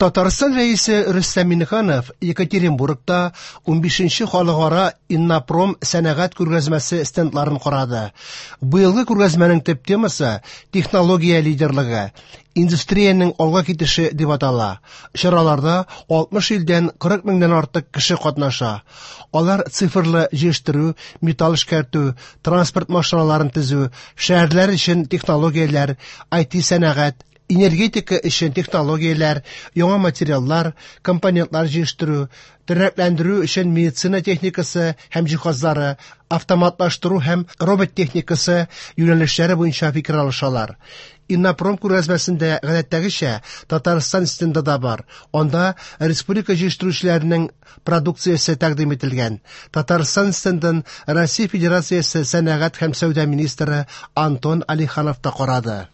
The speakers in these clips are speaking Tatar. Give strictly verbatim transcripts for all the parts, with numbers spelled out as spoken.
Татарстан Рәисе Рөстәм Миңнеханов Екатеринбургта унбишенче халыкара Иннопром сәнәгать күргәзмәсе стендларын карады. Быелгы күргәзмәнең төп темасы технология лидерлыгы, индустриянең алга китеше дип атала. Чараларда алтмыш илдән кырык меңнән артык кеше катнаша. Алар цифрлы җыештыру, металл эшкәртү, транспорт машиналарын төзү, шәһәрләр өчен технологияләр, ай ти сәнәгать, энергетика өчен технологияләр, яңа материаллар, компонентлар җыештыру, тернәкләндерү өчен медицина техникасы һәм җиһазлары, автоматлаштыру һәм робот техникасы юнәлешләре буенча фикер алышалар. Иннопром күргәзмәсендә гадәттәгечә Татарстан стенды да бар. Анда республика җыештыручыларының продукциясе тәкъдим ителгән. Татарстан стендын Россия Федерациясе сәнәгать һәм сәүдә министры Антон Алиханов та карады.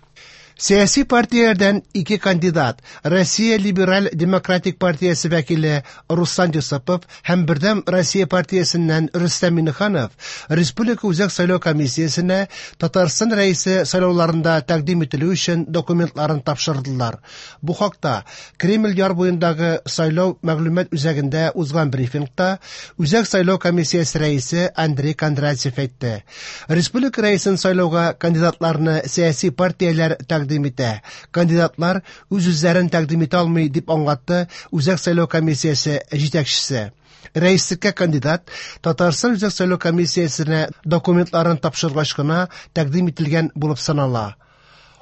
Сәяси партияләрдән ике кандидат, Россия Либераль Демократик партиясе вәкиле Руслан Юсупов һәм Бердәм Россия партиясеннән Рөстәм Миңнеханов Республика Үзәк сайлау комиссиясенә Татарстан Рәисе сайлауларында тәкъдим ителү өчен документларын тапшырдылар. Бу хакта Кремль яр буендагы сайлау мәгълүмат үзәгендә узган брифингта Үзәк сайлау комиссиясе рәисе Андрей Кондратьев әйтте. Республика рәисен сайлауга кандидатларны сәяси партияләр тәкъдим итә. Кандидатлар үз-үзләрен тәкъдим итә алмый, дип аңлатты Үзәк сайлау комиссиясе җитәкчесе. Рәислеккә кандидат Татарстан Үзәк сайлау комиссиясенә документларын тапшыргач кына тәкъдим ителгән булып санала.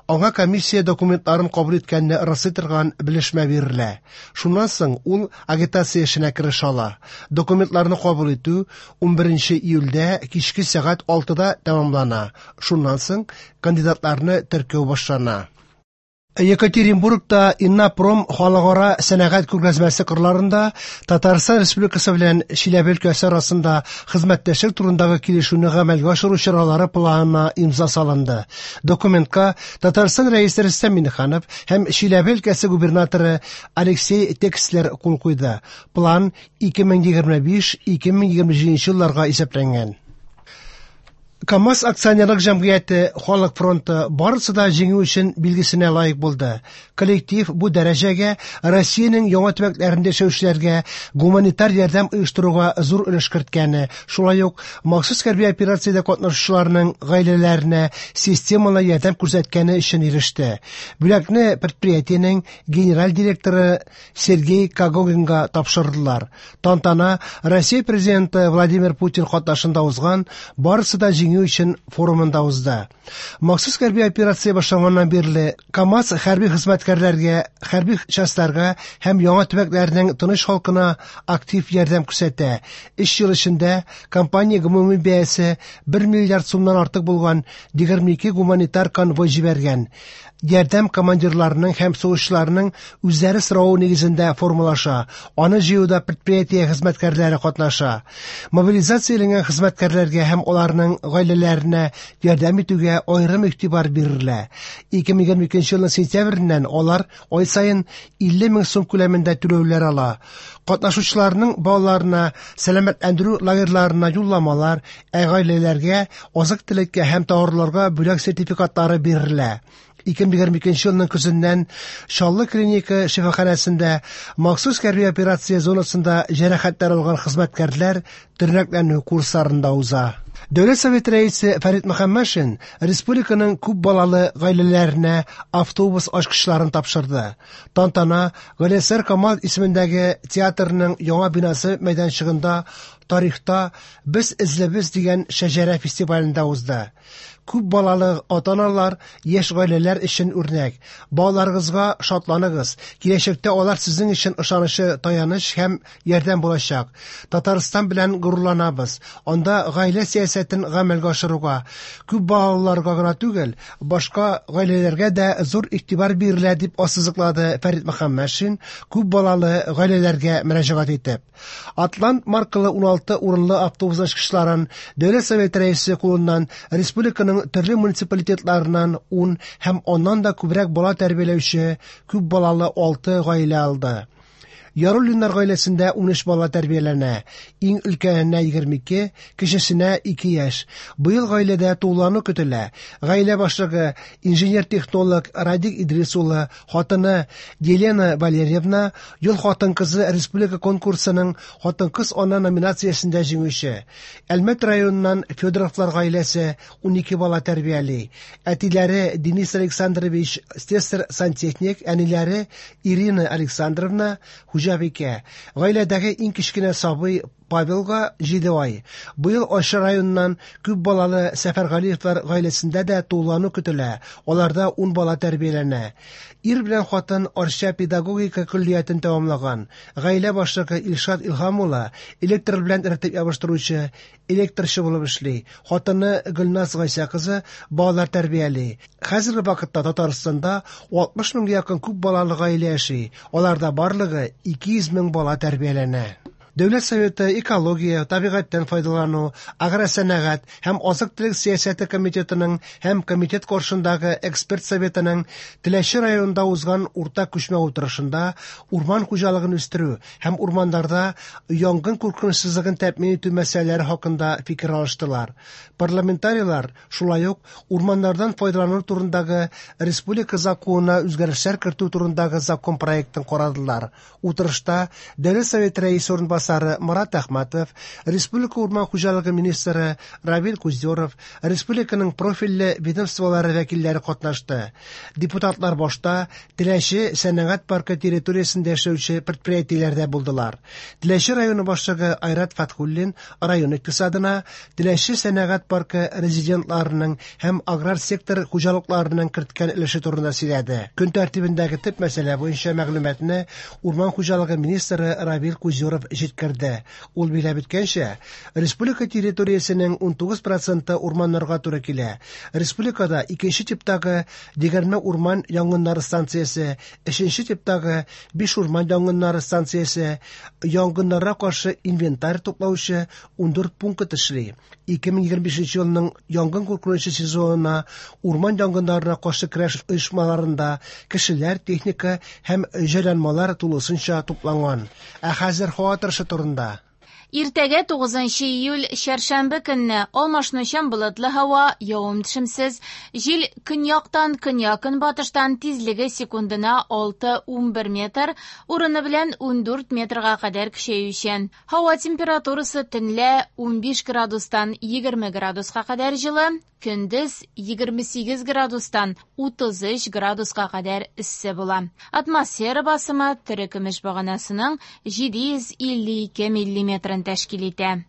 Аңа комиссия документларын кабул иткәнне раслый торган белешмә бирелә. Шуннан соң ул агитация эшенә керешә ала. Документларны кабул итү унберенче июльдә кичке сәгать алтыда тәмамлана. Шуннан соң кандидатларны теркәү башлана. Екатеринбургта Иннопром халыкара сәнәгать күргәзмәсе кырларында Татарстан Республикасы белән Чиләбе өлкәсе арасында хезмәттәшлек турындагы килешүне гамәлгә ашыру чаралары планына имза салынды. Документка Татарстан Рәисе Рөстәм Миңнеханов һәм Чиләбе өлкәсе губернаторы Алексей Текслер кул куйды. План ике мең егерме биш — ике мең егерме җиденче елларга исәпләнгән. КАМАЗ акционерлык җәмгыяте Халык фронты барысы да җиңү өчен билгесенә лаек булды. Коллектив бу дәрәҗәгә Россиянең яңа төбәкләрендә яшәүчеләргә гуманитар ярдәм оештыруга зур өлеш керткәне, шулай ук махсус хәрби операциядә катнашучыларның гаиләләренә системалы ярдәм күрсәткәне өчен иреште. Бүләкне предприятиенең генераль директоры Сергей Когогинга тапшырдылар. Тантана Россия президенты Владимир Путин катнашында узган барысы да җиңү өчен форумында узды. Махсус хәрби операция башланганнан бирле КАМАЗ хәрби хезмәткәрләргә, хәрби частьларга һәм яңа төбәкләрнең тыныч халкына актив ярдәм күрсәтә. Өч ел эчендә компания гомуми бәясе бер миллиард сумнан артык булган егерме ике гуманитар конвой җибәргән. Ярдәм командирларының һәм сугышчыларының үзләре соравы нигезендә формалаша. Аны җыюда предприятие хезмәткәрләре катнаша. Мобилизацияләнгән хезмәткәрләргә һәм аларның гаиләләренә ярдәм итүгә аерым игътибар бирелә. Ике мең егерме икенче елның сентябреннән алар ай саен илле мең сум күләмендә түләүләр ала. Катнашучыларның балаларына сәламәтләндерү лагерьларына юлламалар, ә гаиләләргә азык-төлеккә һәм товарларга бүләк сертификатлары бирелә. Ике мең егерме икенче елның көзеннән Чаллы клиника шифаханәсендә махсус хәрби операция зонасында җәрәхәтләр алган хезмәткәрләр тернәкләнү курсларында уза. Дәүләт Советы рәисе Фәрит Мөхәммәтшин республиканың күп балалы гаиләләренә автобус ачкычларын тапшырды. Тантана Галиәсгар Камал исемендәге театрның яңа бинасы мәйданчыгында тарихта Без эзлебез дигән шәҗәрә фестивалендә узды. Күп балалы ата-аналар яшь гаиләләр өчен үрнәк. Балаларыгызга шатланыгыз. Киләчәктә алар сезнең өчен ышанычлы таяныч һәм ярдәм булачак. Татарстан белән горурланабыз. Анда гаилә сәясәтен гамәлгә ашыруга, күп балаларга гына түгел, башка гаиләләргә дә зур игътибар бирелә, дип ассызыклады Фәрит Мөхәммәтшин күп балалы гаиләләргә мөрәҗәгать итеп. Атлант маркалы уналты урынлы автобус ачкычларын Дәүләт Советы рәисе кулыннан республиканың төрле муниципалитетларыннан ун һәм аннан да күбрәк бала тәрбияләүче күп балалы алты гаилә алды. Яруллиннар гаиләсендә унөч бала тәрбияләнә. Иң өлкәненә егерме ике, кечесенә ике яшь. Быел гаиләдә тулылану көтелә. Гаилә башлыгы инженер-технолог Радик Идрис улы, хатыны Елена Валерьевна Ел хатын-кызы республика конкурсының хатын-кыз ана номинациясендә җиңүче. Әлмәт районыннан Федоровлар гаиләсе унике бала тәрбияли. Әтиләре Денис Александрович слесарь-сантехник, әниләре Ирина Александровна хуҗабикә. Гаиләдәге иң кечкенә сабый Павелга җиде ай. Быел Арча районыннан күп балалы Сәфәргалиевлар гаиләсендә дә тулылану көтелә. Аларда ун бала тәрбияләнә. Ир белән хатын Арча педагогика көллиятен тәмамлаган. Гаилә башлыгы Илшат Илһам улы электр белән эретеп ябыштыручы, электрчы булып эшли. Хатыны Гөлназ Гайсә кызы балалар тәрбияли. Хәзерге вакытта Татарстанда алтмыш меңгә якын күп балалы гаилә яши. Аларда барлыгы ике йөз мең бала тәрбияләнә. Дәүләт Советы экология, табигатьтән файдалану, агросәнәгать һәм азык-төлек сәясәте комитетының һәм комитет каршындагы эксперт советының Теләче районында узган уртак күчмә утырышында урман хуҗалыгын үстерү һәм урманнарда янгын куркынычсызлыгын тәэмин итү мәсьәләләре хакында фикер алыштылар. Парламентарийлар шулай ук урманнардан файдалану турындагы республика законына үзгәрешләр кертү турындагы закон проектын карадылар. Утырышта Дәүләт Советы рәисе урынбасары Марат Әхмәтов, Республика урман хуҗалыгы министры Равил Куздеров, республиканың профильле ведомстволары вәкилләре катнашты. Депутатлар башта Теләче сәнәгать паркы территориясендә эшләүче предприятиеләрдә булдылар. Теләче районы башлыгы Айрат Фатхуллин район икътисадына Теләче сәнәгать паркы резидентларының һәм аграр сектор хуҗалыкларының керткән өлеше турында сөйләде. Көн тәртибендәге төп мәсьәлә буенча мәгълүматны урман хуҗалыгы министры Равил Куздеров җиткерде. Ул билгеләп үткәнчә, республика территориясенең унтугыз проценты урманнарга туры килә. Республикада икенче типтагы егерме урман янгыннары станциясе, өченче типтагы биш урман янгыннары станциясе, янгыннарга каршы инвентарь туплаучы ундүрт пункт эшли. Ике мең егерме бишенче елның янгын куркынычы сезонына урман янгыннарына каршы көрәш оешмаларында кешеләр, техника һәм җайланмалар тулысынча тупланган. Ә хәзер һава торышы турында. Иртәгә тугызынчы июль чәршәмбе көнне алмашынучан болытлы һава, явым-төшемсез, җил көньяктан көньяк-көнбатыштан тизлеге секундына алты унбер метр, урыны белән ундүрт метрга кадәр көчәючән. Һава температурасы төнлә унбиш градустан егерме градуска кадәр җылы, көндез егерме сигез градустан утыз өч градуска кадәр эссе була. Атмосфера басымы терекөмеш баганасының җиде йөз илле ике миллиметрын тәшкил итә.